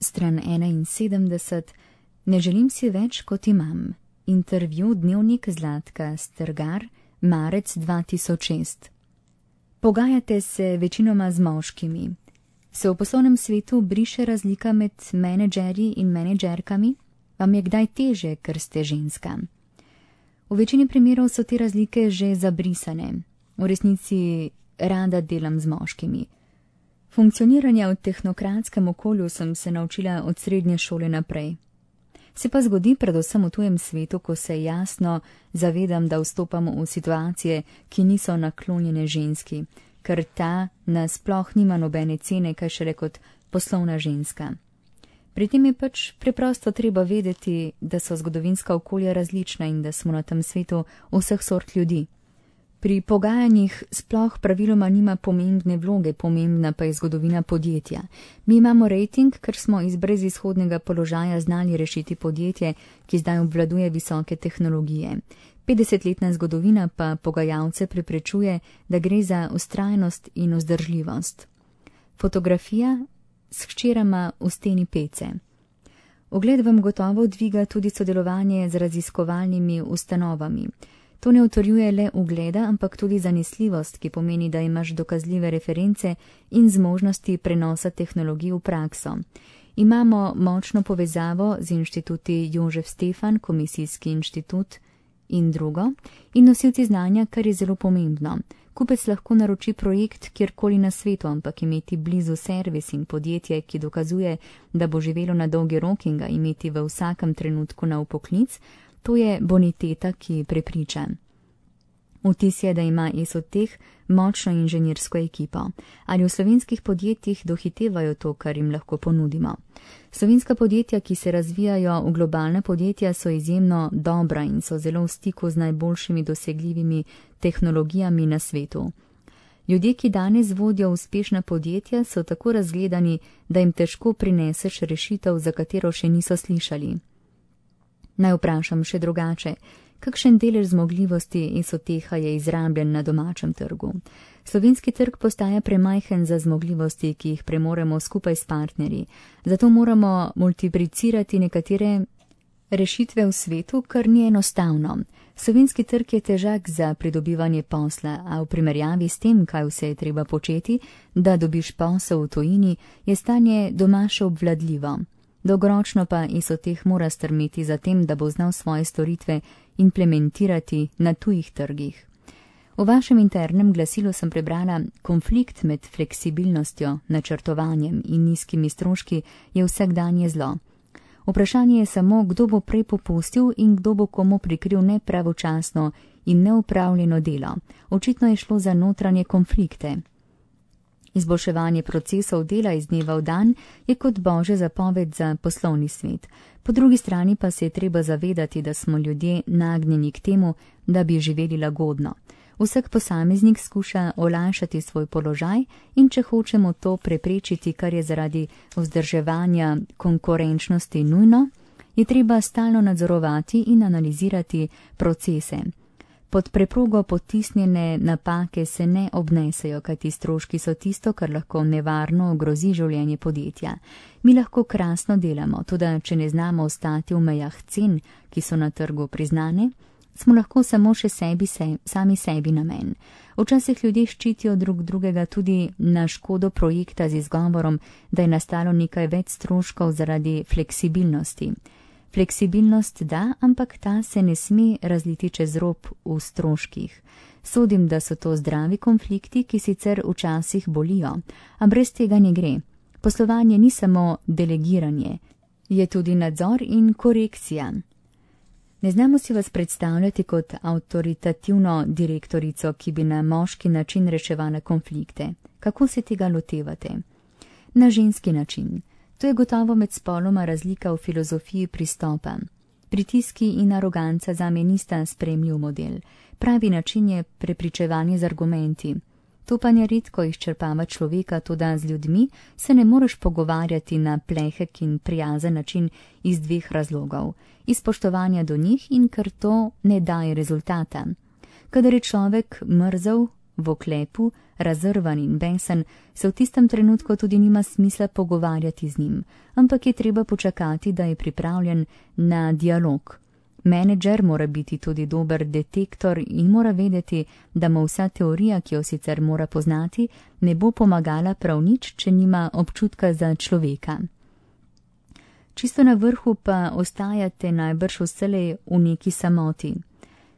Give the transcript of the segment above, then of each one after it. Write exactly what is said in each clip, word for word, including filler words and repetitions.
Stran enainsedemdeset. Ne želim si več, kot imam. Intervju Dnevnik Zlatka Strgar, marec dva tisoč šest. Pogajate se večinoma z moškimi. Se v poslovnem svetu briše razlika med menedžerji in menedžerkami? Vam je kdaj teže, ker ste ženska? V večini primerov so te razlike že zabrisane. V resnici rada delam z moškimi. Funkcioniranja v tehnokratskem okolju sem se naučila od srednje šole naprej. Se pa zgodi predvsem v tujem svetu, ko se jasno zavedam, da vstopamo v situacije, ki niso naklonjene ženski, ker ta nasploh nima nobene cene, kaj šele kot poslovna ženska. Pri tem je pač preprosto treba vedeti, da so zgodovinska okolja različna in da smo na tem svetu vseh sort ljudi. Pri pogajanjih sploh praviloma nima pomembne vloge, pomembna pa je zgodovina podjetja. Mi imamo rejting, ker smo iz brezizhodnega položaja znali rešiti podjetje, ki zdaj obvladuje visoke tehnologije. petdesetletna zgodovina pa pogajalce preprečuje, da gre za vztrajnost in vzdržljivost. Fotografija s hčerama v steni pece. Ogled vam gotovo dviga tudi sodelovanje z raziskovalnimi ustanovami. To ne utrjuje le ugleda, ampak tudi zanesljivost, ki pomeni, da imaš dokazljive reference in zmožnosti prenosa tehnologij v prakso. Imamo močno povezavo z inštituti Jožef Stefan, Komisijski inštitut in drugo, in nosilci znanja, kar je zelo pomembno. Kupec lahko naroči projekt kjerkoli na svetu, ampak imeti blizu servis in podjetje, ki dokazuje, da bo živelo na dolgi rok in ga imeti v vsakem trenutku na upoklic, to je boniteta, ki prepriča. Vtis je, da ima Esoteh močno inženirsko ekipo. Ali v slovenskih podjetjih dohitevajo to, kar jim lahko ponudimo? Slovenska podjetja, ki se razvijajo v globalna podjetja, so izjemno dobra in so zelo v stiku z najboljšimi dosegljivimi tehnologijami na svetu. Ljudje, ki danes vodijo uspešna podjetja, so tako razgledani, da jim težko prineseš rešitev, za katero še niso slišali. Naj vprašam še drugače. Kakšen delež zmogljivosti Esoteha je izrabljen na domačem trgu? Slovenski trg postaja premajhen za zmogljivosti, ki jih premoremo skupaj s partnerji. Zato moramo multiplicirati nekatere rešitve v svetu, kar ni enostavno. Slovenski trg je težak za pridobivanje posla, a v primerjavi s tem, kaj vse je treba početi, da dobiš posel v tujini, je stanje doma še obvladljivo. Dolgoročno pa Esoteh mora strmeti za tem, da bo znal svoje storitve implementirati na tujih trgih. V vašem internem glasilu sem prebrala: konflikt med fleksibilnostjo, načrtovanjem in nizkimi stroški je vsakdanje zlo. Vprašanje je samo, kdo bo prej popustil in kdo bo komu prikril nepravočasno in neupravljeno delo. Očitno je šlo za notranje konflikte. Izboljševanje procesov dela iz dneva v dan je kot božja zapoved za poslovni svet. Po drugi strani pa se je treba zavedati, da smo ljudje nagnjeni k temu, da bi živeli lagodno. Vsak posameznik skuša olajšati svoj položaj in če hočemo to preprečiti, kar je zaradi vzdrževanja konkurenčnosti nujno, je treba stalno nadzorovati in analizirati procese. Pod preprogo potisnjene napake se ne obnesejo, kajti stroški so tisto, kar lahko nevarno ogrozi življenje podjetja. Mi lahko krasno delamo, tudi če ne znamo ostati v mejah cen, ki so na trgu priznane, smo lahko samo še sebi, se, sami sebi namen. Včasih ljudje ščitijo drug drugega tudi na škodo projekta z izgovorom, da je nastalo nekaj več stroškov zaradi fleksibilnosti. Fleksibilnost da, ampak ta se ne sme razliti čez rob v stroških. Sodim, da so to zdravi konflikti, ki sicer včasih bolijo, a brez tega ne gre. Poslovanje ni samo delegiranje, je tudi nadzor in korekcija. Ne znamo si vas predstavljati kot avtoritativno direktorico, ki bi na moški način reševala konflikte. Kako se tega lotevate? Na ženski način. To je gotovo med spoloma razlika v filozofiji pristopa. Pritiski in aroganca zame nista sprejemljiv model. Pravi način je prepričevanje z argumenti. To pa neredko izčrpava človeka, toda z ljudmi se ne moreš pogovarjati na plehek in prijazen način iz dveh razlogov. Iz spoštovanja do njih in ker to ne daje rezultata. Kadar je človek mrzel, v oklepu, razrvan in besen, se v tistem trenutku tudi nima smisla pogovarjati z njim, ampak je treba počakati, da je pripravljen na dialog. Menedžer mora biti tudi dober detektor in mora vedeti, da mu vsa teorija, ki jo sicer mora poznati, ne bo pomagala prav nič, če nima občutka za človeka. Čisto na vrhu pa ostajate najbrž vselej v neki samoti.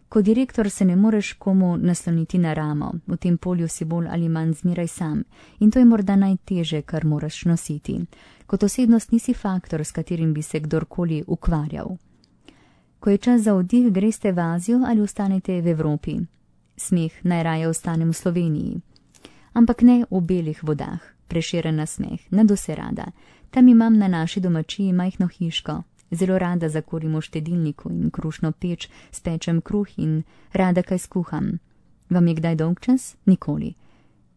Kot direktor se ne moreš komu nasloniti na ramo, v tem polju si bolj ali manj zmeraj sam in to je morda najteže, kar moraš nositi. Kot osebnost nisi faktor, s katerim bi se kdorkoli ukvarjal. Ko je čas za oddih, greste v Azijo ali ostanete v Evropi. Smeh, najraje ostanem v Sloveniji. Ampak ne v belih vodah, Prešeren nasmeh, nadvse rada. Tam imam na naši domačiji majhno hiško. Zelo rada zakurim v štedilniku in krušno peč, spečem kruh in rada kaj skuham. Vam je kdaj dolgčas? Nikoli.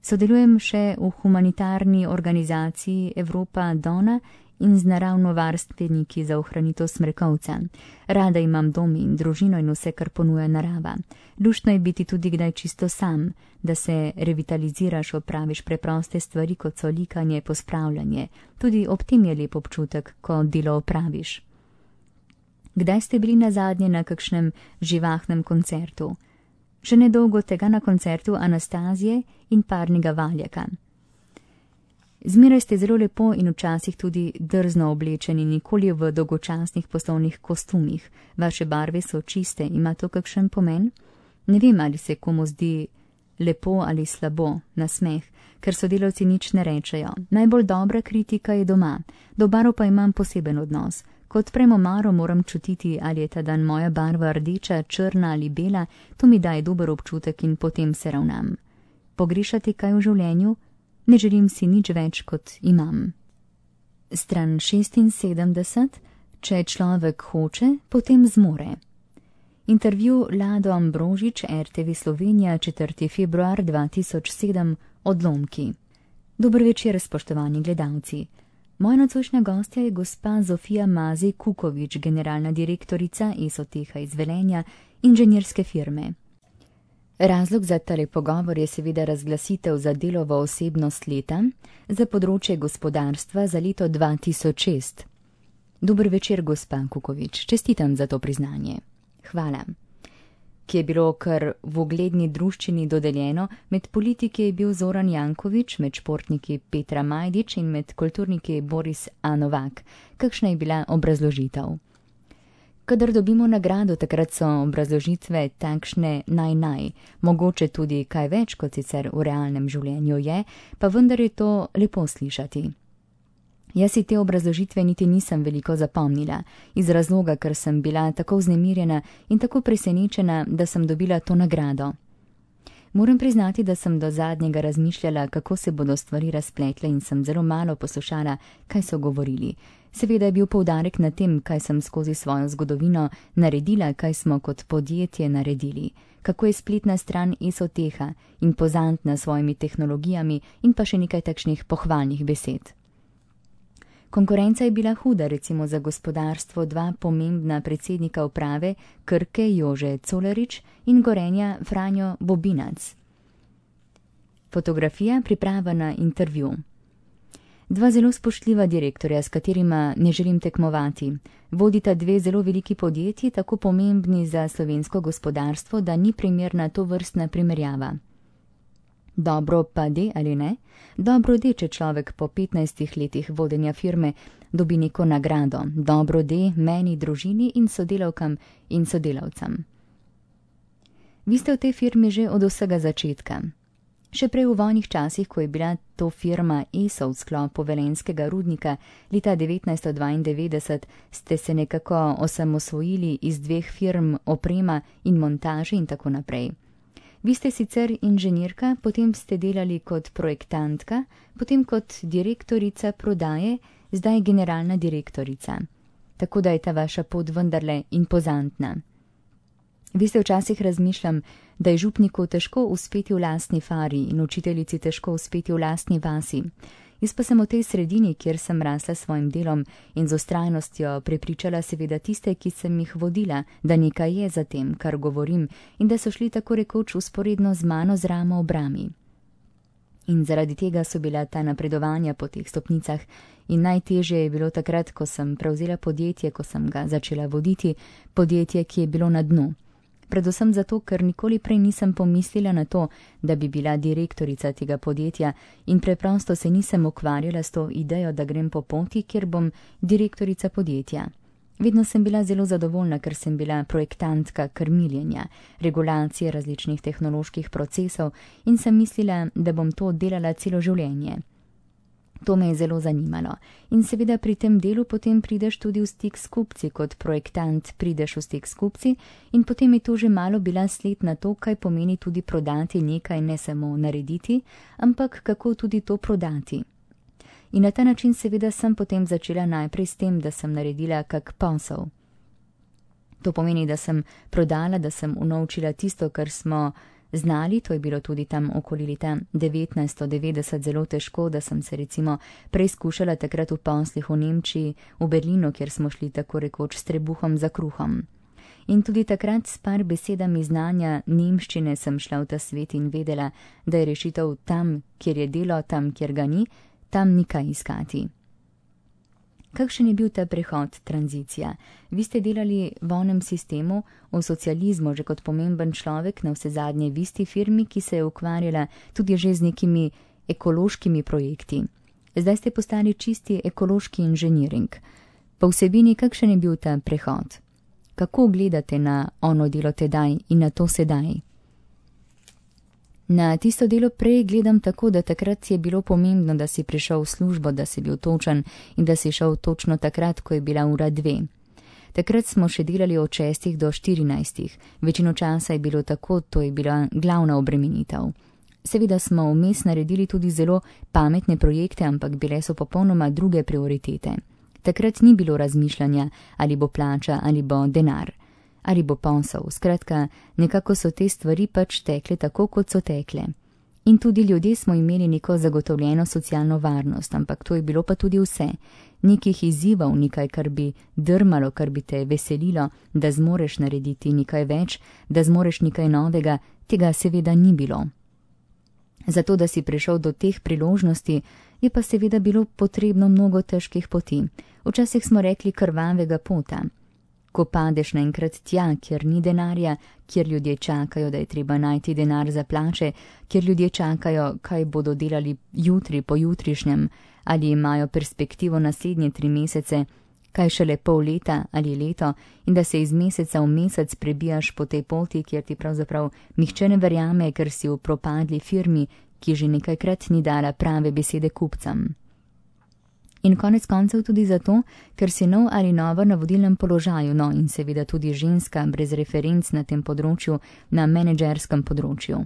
Sodelujem še v humanitarni organizaciji Evropa Dona in z naravnovarstveniki za ohranitev smrekovca. Rada imam dom in družino in vse, kar ponuja narava. Luštno je biti tudi kdaj čisto sam, da se revitaliziraš, opraviš preproste stvari, kot so likanje, pospravljanje. Tudi ob tem je lep občutek, ko delo opraviš. Kdaj ste bili nazadnje na kakšnem živahnem koncertu? Še nedolgo tega na koncertu Anastazije in Parnega Valjaka. Zmeraj ste zelo lepo in včasih tudi drzno oblečeni, nikoli v dolgočasnih poslovnih kostumih. Vaše barve so čiste, ima to kakšen pomen? Ne vem, ali se komu zdi lepo ali slabo, nasmeh, ker sodelavci nič ne rečejo. Najbolj dobra kritika je doma, do barv pa imam poseben odnos. Kot premo maro moram čutiti, ali je ta dan moja barva rdeča, črna ali bela, to mi daje dober občutek in potem se ravnam. Pogrešati kaj v življenju? Ne želim si nič več, kot imam. Stran šestinsedemdeset. Če človek hoče, potem zmore. Intervju Lado Ambrožič, R T V Slovenija, četrti februar dva tisoč sedem, Odlomki. Dober večer, spoštovani gledalci. Moja nocojšnja gostja je gospa Zofija Mazej Kukovič, generalna direktorica Esoteha iz Velenja, inženirske firme. Razlog za tale pogovor je seveda razglasitev za delovo osebnost leta za področje gospodarstva za leto dva tisoč šest. Dober večer, gospa Kukovič, čestitam za to priznanje. Hvala. Ki je bilo kar v ugledni druščini dodeljeno, med politiki je bil Zoran Janković, med športniki Petra Majdič in med kulturniki Boris A. Novak. Kakšna je bila obrazložitev? Kadar dobimo nagrado, takrat so obrazložitve takšne naj-naj, mogoče tudi kaj več, kot sicer v realnem življenju je, pa vendar je to lepo slišati. Jaz si te obrazložitve niti nisem veliko zapomnila, iz razloga, ker sem bila tako vznemirjena in tako presenečena, da sem dobila to nagrado. Moram priznati, da sem do zadnjega razmišljala, kako se bodo stvari razpletle in sem zelo malo poslušala, kaj so govorili. Seveda je bil poudarek na tem, kaj sem skozi svojo zgodovino naredila, kaj smo kot podjetje naredili, kako je spletna stran Esoteha, impozantna s svojimi tehnologijami in pa še nekaj takšnih pohvalnih besed. Konkurenca je bila huda, recimo za gospodarstvo dva pomembna predsednika uprave, Krke Jože Colarič in Gorenja Franjo Bobinac. Fotografija, priprava na intervju. Dva zelo spoštljiva direktorja, s katerima ne želim tekmovati. Vodita dve zelo veliki podjetji, tako pomembni za slovensko gospodarstvo, da ni primerna to vrstna primerjava. Dobro pa de ali ne? Dobro de, če človek po petnajstih letih vodenja firme dobi neko nagrado. Dobro de meni, družini in sodelavkam in sodelavcem. Vi ste v tej firmi že od vsega začetka. Še prej v vojnih časih, ko je bila to firma ESO v sklopu velenjskega rudnika leta devetnajststo dvaindevetdeset, ste se nekako osamosvojili iz dveh firm oprema in montaže in tako naprej. Vi ste sicer inženirka, potem ste delali kot projektantka, potem kot direktorica prodaje, zdaj generalna direktorica. Tako da je ta vaša pot vendarle impozantna. Vi ste včasih razmišljam, da je župniku težko uspeti v lastni fari in učiteljici težko uspeti v lastni vasi. Jaz pa sem v tej sredini, kjer sem rasla s svojim delom in z vztrajnostjo prepričala seveda tiste, ki sem jih vodila, da nekaj je za tem, kar govorim, in da so šli tako rekoč vzporedno z mano z ramo ob rami. In zaradi tega so bila ta napredovanja po teh stopnicah in najtežje je bilo takrat, ko sem prevzela podjetje, ko sem ga začela voditi, podjetje, ki je bilo na dnu. Predvsem zato, ker nikoli prej nisem pomislila na to, da bi bila direktorica tega podjetja in preprosto se nisem ukvarjala s to idejo, da grem po poti, kjer bom direktorica podjetja. Vedno sem bila zelo zadovoljna, ker sem bila projektantka krmiljenja, regulacije različnih tehnoloških procesov in sem mislila, da bom to delala celo življenje. To me je zelo zanimalo. In seveda pri tem delu potem prideš tudi v stik s kupci, kot projektant prideš v stik s kupci in potem je to že malo bila sled na to, kaj pomeni tudi prodati nekaj, ne samo narediti, ampak kako tudi to prodati. In na ta način seveda sem potem začela najprej s tem, da sem naredila kak posel. To pomeni, da sem prodala, da sem unovčila tisto, kar smo znali, to je bilo tudi tam okoli leta devetnajststo devetdeset zelo težko, da sem se recimo preizkušala takrat v poslih v Nemčiji, v Berlinu, kjer smo šli tako rekoč s trebuhom za kruhom. In tudi takrat s par besedami znanja nemščine sem šla v ta svet in vedela, da je rešitev tam, kjer je delo, tam, kjer ga ni, tam ni kaj iskati. Kakšen je bil ta prehod, tranzicija? Vi ste delali v onem sistemu, v socializmu, že kot pomemben človek, na vse zadnje v isti firmi, ki se je ukvarjala tudi že z nekimi ekološkimi projekti. Zdaj ste postali čisti ekološki inženiring. Po vsebini, kakšen je bil ta prehod? Kako gledate na ono delo tedaj in na to sedaj? Na tisto delo prej gledam tako, da takrat je bilo pomembno, da si prišel v službo, da si bil točen in da si šel točno takrat, ko je bila ura dve. Takrat smo še delali od šestih do štirinajstih. Večino časa je bilo tako, to je bila glavna obremenitev. Seveda smo vmes naredili tudi zelo pametne projekte, ampak bile so popolnoma druge prioritete. Takrat ni bilo razmišljanja, ali bo plača, ali bo denar. Ali bo posel, skratka, nekako so te stvari pač tekle tako, kot so tekle. In tudi ljudje smo imeli neko zagotovljeno socialno varnost, ampak to je bilo pa tudi vse. Nekih izzivov, nekaj, kar bi drmalo, kar bi te veselilo, da zmoreš narediti nekaj več, da zmoreš nekaj novega, tega seveda ni bilo. Zato, da si prišel do teh priložnosti, je pa seveda bilo potrebno mnogo težkih poti. Včasih smo rekli krvavega pota. Ko padeš naenkrat tja, kjer ni denarja, kjer ljudje čakajo, da je treba najti denar za plače, kjer ljudje čakajo, kaj bodo delali jutri, pojutrišnjem, ali imajo perspektivo naslednje tri mesece, kaj šele pol leta ali leto, in da se iz meseca v mesec prebijaš po tej poti, kjer ti pravzaprav nihče ne verjame, ker si v propadli firmi, ki že nekajkrat ni dala prave besede kupcem. In konec koncev tudi zato, ker si nov ali nova na vodilnem položaju, no in seveda tudi ženska brez referenc na tem področju, na menedžerskem področju.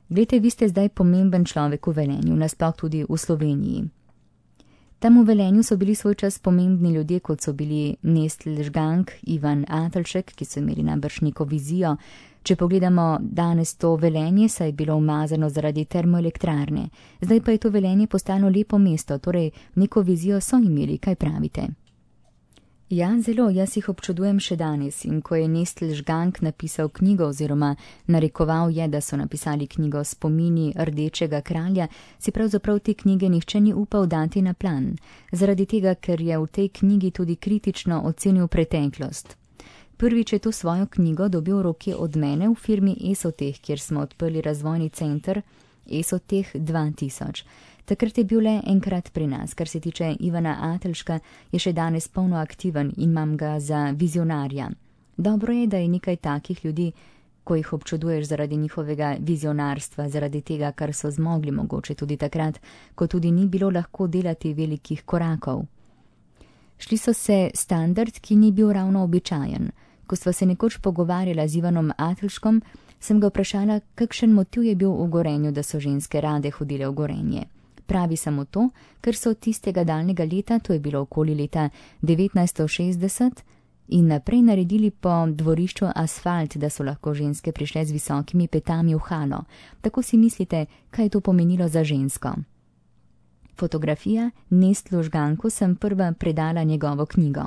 Glejte, vi ste zdaj pomemben človek v Velenju, nasploh tudi v Sloveniji. Tam v Velenju so bili svoj čas pomembni ljudje, kot so bili Nestl Žgank, Ivan Atelšek, ki so imeli najbrž neko vizijo. Če pogledamo danes to Velenje, saj je bilo umazano zaradi termoelektrarne. Zdaj pa je to Velenje postalo lepo mesto, torej neko vizijo so imeli, kaj pravite? Ja, zelo, jaz jih občudujem še danes in ko je Nestl Žgank napisal knjigo oziroma narekoval je, da so napisali knjigo Spomini rdečega kralja, si pravzaprav te knjige nihče ni upal dati na plan, zaradi tega, ker je v tej knjigi tudi kritično ocenil preteklost. Prvič je to svojo knjigo dobil v roki od mene v firmi Esoteh, kjer smo odprli razvojni center Esoteh dva tisoč. Takrat je bil le enkrat pri nas, kar se tiče Ivana Atelška, je še danes polno aktiven in imam ga za vizionarja. Dobro je, da je nekaj takih ljudi, ko jih občuduješ zaradi njihovega vizionarstva, zaradi tega, kar so zmogli mogoče tudi takrat, ko tudi ni bilo lahko delati velikih korakov. Šli so se standard, ki ni bil ravno običajen. Ko sva se nekoč pogovarjala z Ivanom Atelškom, sem ga vprašala, kakšen motiv je bil v Gorenju, da so ženske rade hodile v Gorenje. Pravi samo to, ker so tistega daljnega leta, to je bilo okoli leta devetnajststo šestdeset, in naprej naredili po dvorišču asfalt, da so lahko ženske prišle z visokimi petami v halo. Tako si mislite, kaj je to pomenilo za žensko. Fotografija Nestlu Žganku sem prva predala njegovo knjigo.